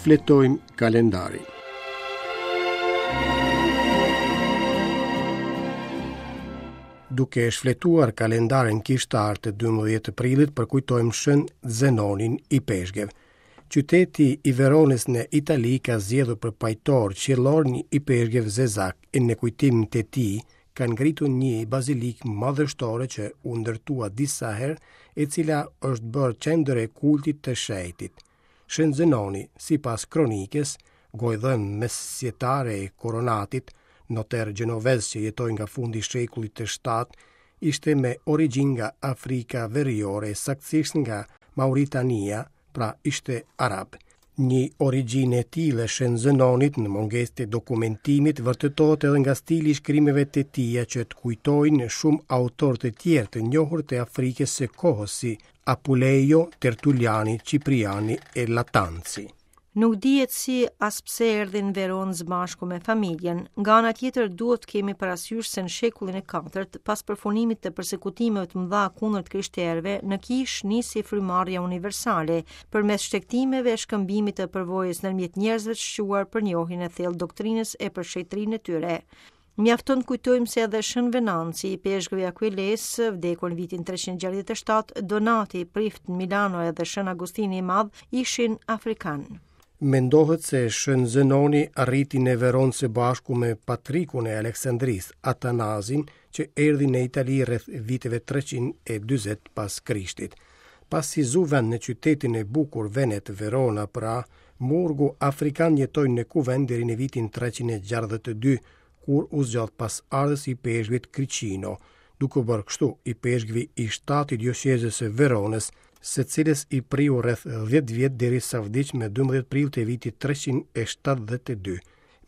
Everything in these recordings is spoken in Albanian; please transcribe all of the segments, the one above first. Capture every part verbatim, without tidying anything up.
Shfletojmë kalendarin. Duke shfletuar kalendarin kishtar të dymbëdhjetë prillit, përkujtojmë Shën Zenonin Ipeshkëv. Qyteti i Veronës në Itali ka zgjedhur për pajtor qiellor një ipeshkëv zezak e në kujtim të tij kanë ngritur një bazilikë madhështore që u ndërtua disa herë, e cila është bërë qendër e kultit të shenjtit. Shën Zenoni, sipas kronikës, gojëdhënë mesjetare e Koronatit, noter gjenovez që jetoi nga fundi i shekullit të shtatë, ishte me origjinë nga Afrika Veriore, saktësisht nga Mauritania, pra ishte arab. Një origjinë e tillë e Shën Zenonit në mungesë të dokumentimit vërtetohet edhe nga stili i shkrimeve të tija që të kujtojnë shumë autorë të tjerë të njohur të Afrikës së kohës si Apulejo, Tertuliani, Cipriani e Latanci. Nuk dihet si as pse erdhi në Veronë së bashku me familjen. Nga ana tjetër duhet të kemi parasysh se në shekullin e katërt, pas përfunimit të persekutimeve të mëdha kundër të krishterëve, në kishë nisi frymarrja universale përmes shtegtimeve e shkëmbimit të përvojës ndërmjet njerëzve të shquar për njohjen e thellë doktrinës e për shenjtërinë e tyre. Mjafton të kujtojmë se edhe Shën Venanci, ipeshkvi i Aquiles, vdekur në vitin treqind e gjashtëdhjetë e shtatë, Donati, prift në Milano edhe Shën Agustini i Madh ishin afrikan. Mendohet se Shën Zenoni arriti në Veronë së bashku me patrikun e Aleksandrisë, Atanazin, që erdhi në Itali rreth viteve treqind e dyzet pas Krishtit. Pasi zu vend në qytetin e bukur Venet, Verona, pra, murgu afrikan jetoi në kuvend deri në vitin treqind e gjashtëdhjetë e dy, kur u zgjodh pas ardhës i peshkvit Kricino, duke u bërë kështu i peshkvi i shtatë i dioqezës së Veronës, së cilës i priu rreth dhjetë vjet derisa vdiq me dymbëdhjetë prill të vitit treqind e shtatëdhjetë e dy.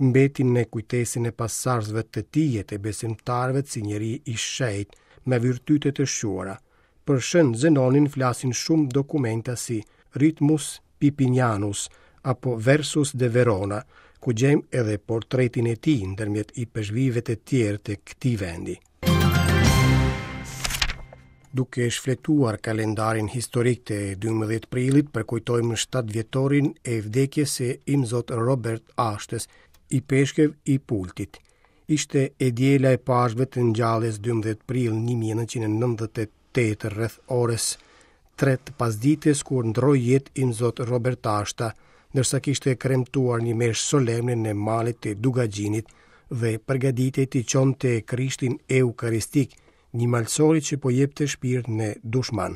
Mbeti në kujtesën e pasardhësve të tij e të besimtarëve si njeri i shenjtë me virtyte të shquara. Për Shën Zenonin flasin shumë dokumenta si Ritmus Pipinianus apo Versus de Verona, ku gjejmë edhe portretin e tij ndërmjet ipeshkvive të tjerë të këtij vendi. Duke shfletuar kalendarin historik të dymbëdhjetë prillit, përkujtojmë shtatë vjetorin e vdekjes së Imzot Robert Ashtës, ipeshkëv i Pultit. Ishte e diela e Pashkëve të ngjalljes dymbëdhjetë prill një mijë e nëntëqind e nëntëdhjetë e tetë rreth orës tre të pasdites kur ndroi jetë Imzot Robert Ashta, ndërsa kishte kremtuar një meshë solemne në malet e Dukagjinit dhe përgatitej t'i çonte Krishtin Eukaristik, një malsori që po jepte shpirt në dushman.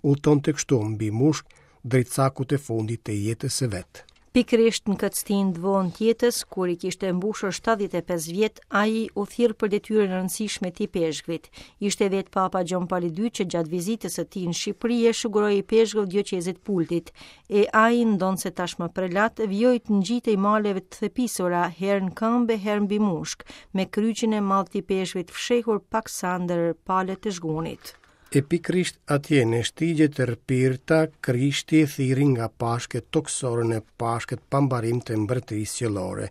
Udhtonte kështu mbi mushk drejt cakut të fundit të jetës së vet. Pikërisht në këtë stinë të vonë të jetës, kur i kishte mbushur shtatëdhjetë e pesë vjet, ai u thirr për detyrën e rëndësishme të ipeshkvit. Ishte vetë Papa Gjon Pali i dytë që gjatë vizitës së tij në Shqipëri e shuguroi ipeshkëv dioqezit Pultit, e ai ndonse tashmë prelat, vijoi të ngjitej maleve të thepisura, herë në këmbë e herë mbi mushk, me kryqin e madh të ipeshkvit fshehur paksa ndër palët e zhgunit. E pikërisht atje në shtigjet e rpirta, Krishti thirri nga Pashkët tokësore në Pashkët pambarim të mbretërisë qiellore.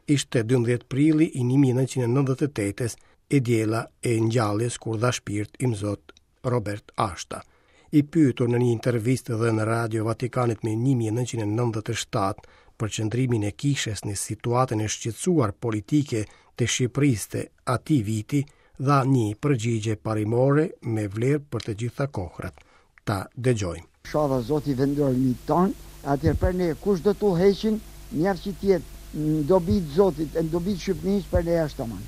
Ishte dymbëdhjetë prilli i një mijë e nëntëqind e nëntëdhjetë e tetës, e diela e ngjalljes kur dha shpirt Imzot Robert Ashta. I pyetur në një intervistë dhënë në Radio Vatikanit më një mijë e nëntëqind e nëntëdhjetë e shtatë për qëndrimin e kishës në situatën e shqetësuar politike të Shqipërisë të atij viti, dha një përgjigje parimore me vlerë për të gjitha kohrat. Ta dëgjojmë. Shava Zoti vendormi ton, atëherë për ne kush do t'u heqin, mjaft që t'jetë në dobi të Zotit, në dobi të Shqipërisë, për ne është tamam.